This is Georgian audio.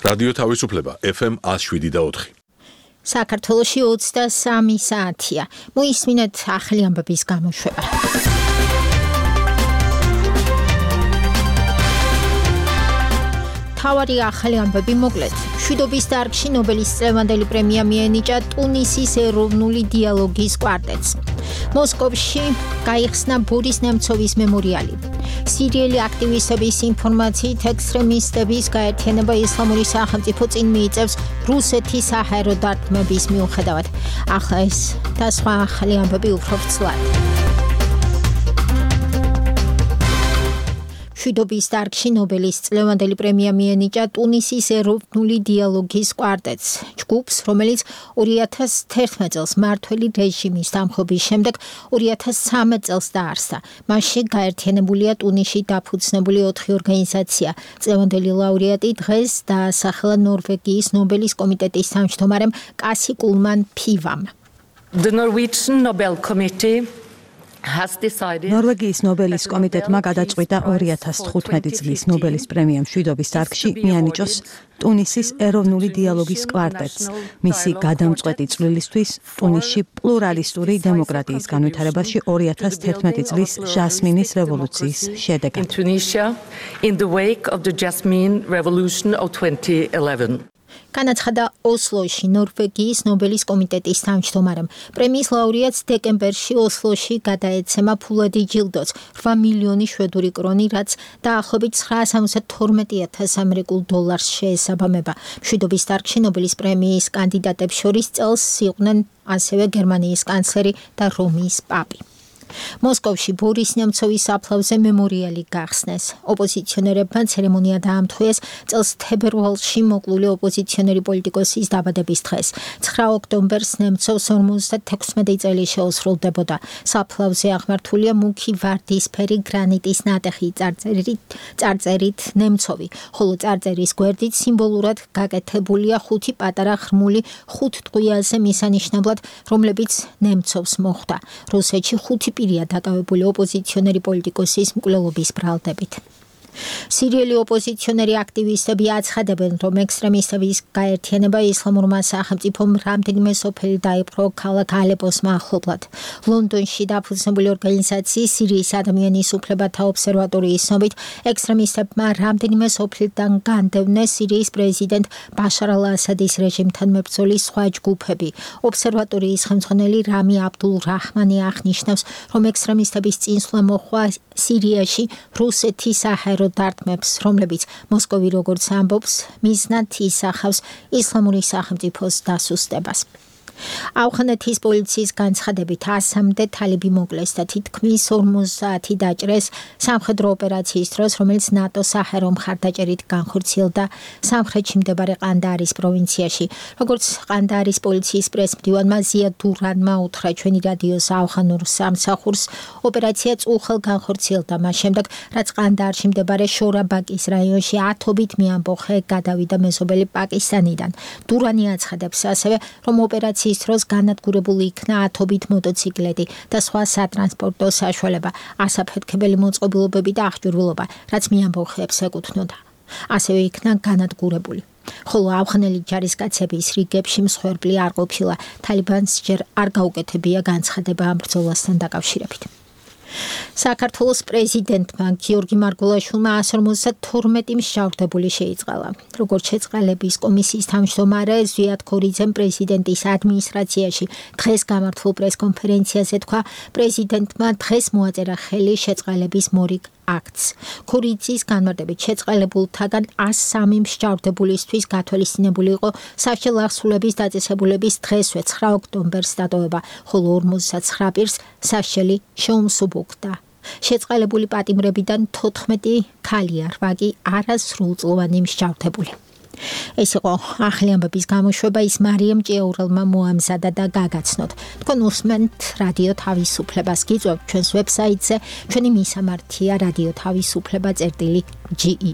რადიო თავისუფლება FM 107.4. საქართველოში 23 საათია. მოისმინეთ ახალი ამბების გამოშვება. თავარი ახალი ამბები მოკლედ. მშვიდობის დარგში ნობელის წლევანდელი პრემია მიენიჭა ტუნისის ეროვნული დიალოგის კვარტეტს. მოსკოვში გაიხსნა ბორის ნემცოვის მემორიალი. სირიელი აქტივისტების ინფორმაციით ექსტრემისტების გაერთიანება ისლამური სახელმწიფო წინ მიიწევს რუსეთის საჰაერო დარტყმების მიუხედავად. ახლა ეს და სხვა ახალი ამბები უფრო ვრცლად. მშვიდობის დარგში ნობელის წლევანდელი პრემია მიენიჭა ტუნისის ეროვნული დიალოგის კვარტეტს. ჯგუფს, რომელიც 2011 წელს მმართველი რეჟიმის დამხობის შემდეგ 2013 წელს დაარსდა. მასში გაერთიანებულია ტუნისში დაფუძნებული 4 ორგანიზაცია. წლევანდელი ლაურეატი დღეს დაასახელა ნორვეგიის ნობელის კომიტეტის თავმჯდომარემ კასი კულმან ფივამ. The Norwegian Nobel Committee ნორვეგიის ნობელის კომიტეტმა გადაწყვიტა 2015 წლის ნობელის პრემია მშვიდობის დარგში მიანიჭოს ტუნისის ეროვნული დიალოგის კვარტეტს. მისი გადამწყვეტი წვლილისთვის ტუნისში პლურალისტური დემოკრატიის განვითარებაში 2011 წლის ჟასმინის რევოლუციის შედეგად. In the wake of the Jasmine Revolution of 2011. განაცხადა ოსლოში ნორვეგიის ნობელის კომიტეტის თავმჯდომარემ. პრემიის ლაურეატს დეკემბერში ოსლოში გადაეცემა ფულადი ჯილდოც 8 მილიონი შვედური კრონი, რაც დაახლოებით 972,000 ამერიკულ დოლარს შეესაბამება. მშვიდობის დარგში ნობელის პრემიის კანდიდატებს შორის წელს იყვნენ ასევე გერმანიის კანცლერი და რომის პაპი. მოსკოვში ბორის ნემცოვის საფლავზე მემორიალი გახსნეს. ოპოზიციონერებმა ცერემონია დაამთხვიეს წელს თებერვალში მოკლული ოპოზიციონერი პოლიტიკოსის დაბადების დღეს. 9 ოქტომბერს ნემცოვს 56 წელი შეუსრულდებოდა. საფლავზე აღმართულია მუქი ვარდისფერი გრანიტის ნატეხი წარწერით ნემცოვი, ხოლო წარწერის გვერდით სიმბოლურად გაკეთებულია 5 პატარა ღრმული 5 ტყვიაზე მისანიშნებლად, რომლებიც ნემცოვს მოხვდა. რუსეთში 5 პირია დაკავებული ოპოზიციონერი პოლიტიკოსის მკვლელობის ბრალდებით. სირიელი ოპოზიციონერი აქტივისტები აცხადებენ, რომ ექსტრემისტების გაერთიანება ისლამურმა სახელმწიფომ რამდენიმე სოფელი დაიპყრო ქალაქ ალეპოს მახლობლად. ლონდონში დაფუძნებული ორგანიზაციის სირიის ადამიანის უფლებათა ობსერვატორიის ცნობით, ექსტრემისტებმა რამდენიმე სოფლიდან განდევნეს სირიის პრეზიდენტ ბაშარ ალ-ასადის რეჟიმთან მებრძოლი სხვა ჯგუფები. ობსერვატორიის ხელმძღვანელი რამი აბდულ რაჰმანი აღნიშნავს, რომ ექსტრემისტების წინსვლა მოჰყვა სირიაში რუსეთის საჰაერო დარტყმებს, რომლებიც მოსკოვი როგორც ამბობს, მიზნად ისახავს ისლამური სახელმწიფოს დასუსტებას. ავღანეთის პოლიციის განცხადებით 100-მდე თალიბი მოკლეს და თითქმის 50 დაჭრეს სამხედრო ოპერაციის დროს, რომელიც ნატო საჰაერო მხარდაჭერით განხორციელდა სამხრეთში მდებარე ყანდაარის პროვინციაში. როგორც ყანდაარის პოლიციის პრესმდივანმა ზია დურანმა უთხრა ჩვენი რადიოს ავღანურ სამსახურს, ოპერაცია წუხელ განხორციელდა მას შემდეგ, რაც ყანდაარში მდებარე შორაბაკის რაიონში ათობით მეამბოხე გადავიდა მეზობელი პაკისტანიდან. დურანი აცხადებს ასევე, რომ ოპერაცია დროს განადგურებული იქნა ათობით მოტოციკლეტი და სხვა სატრანსპორტო საშუალება, ასაფეთქებელი მოწყობილობები და აღჭურვილობა, რაც მეამბოხეებს ეკუთვნოდა. ასევე იქნა განადგურებული. ხოლო ავღანელი ჯარისკაცების რიგებში მსხვერპლი არ ყოფილა. თალიბანს ჯერ არ გაუკეთებია განცხადება ამ ბრძოლასთან დაკავშირებით. საქართველოს პრეზიდენტმა გიორგი მარგულაშვილმა 152 მსჯავრდებული შეიწყალა. როგორც შეწყალების კომისიის თავმჯდომარე ზვიად ქორიძემ პრეზიდენტის ადმინისტრაციაში დღეს გამართულ პრესკონფერენციაზე თქვა, პრეზიდენტმა დღეს მოაწერა ხელი შეწყალების მორიგ აქტს. ქორიძის განმარტებით შეწყალებულთაგან 103 მსჯავრდებულისთვის გათვალისწინებული იყო სასჯელ აღსრულების დაწესებულების დღესვე 9 ოქტომბერს დატოვება, ხოლო 59 პირს სასჯელი შეუმსუბუქდა. შეწყალებული პატიმრებიდან 14 ქალია, 8 კი არასრულწლოვანი მსჯავრდებული. ეს იყო ახალი ამბების გამოშვება, ის მარიამ ჭიაურელმა მოამზადა და გაგაცნოთ. თქვენ უსმენთ რადიო თავისუფლებას, გიწევთ ჩვენს ვებსაიტზე, ჩვენი მისამართია რადიო თავისუფლება.ge